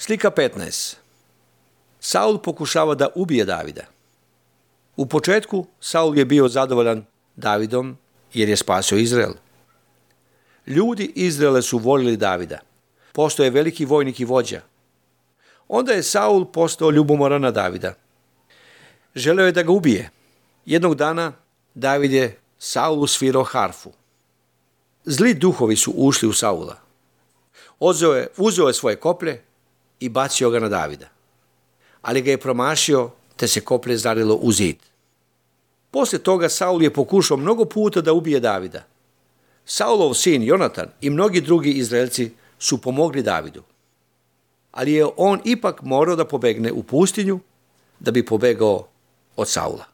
Slika 15. Saul pokušava da ubije Davida. U početku Saul je bio zadovoljan Davidom jer je spasio Izrael. Ljudi Izraela su volili Davida. Postao je veliki vojnik i vođa. Onda je Saul postao ljubomoran na Davida. Želeo je da ga ubije. Jednog dana David je Saulu svirao harfu. Zli duhovi su ušli u Saula. Uzeo je svoje koplje i bacio ga na Davida. Ali ga je promašio, te se koplje zarilo u zid. Poslije toga Saul je pokušao mnogo puta da ubije Davida. Saulov sin Jonatan i mnogi drugi Izraelci su pomogli Davidu. Ali je on ipak morao da pobegne u pustinju da bi pobegao od Saula.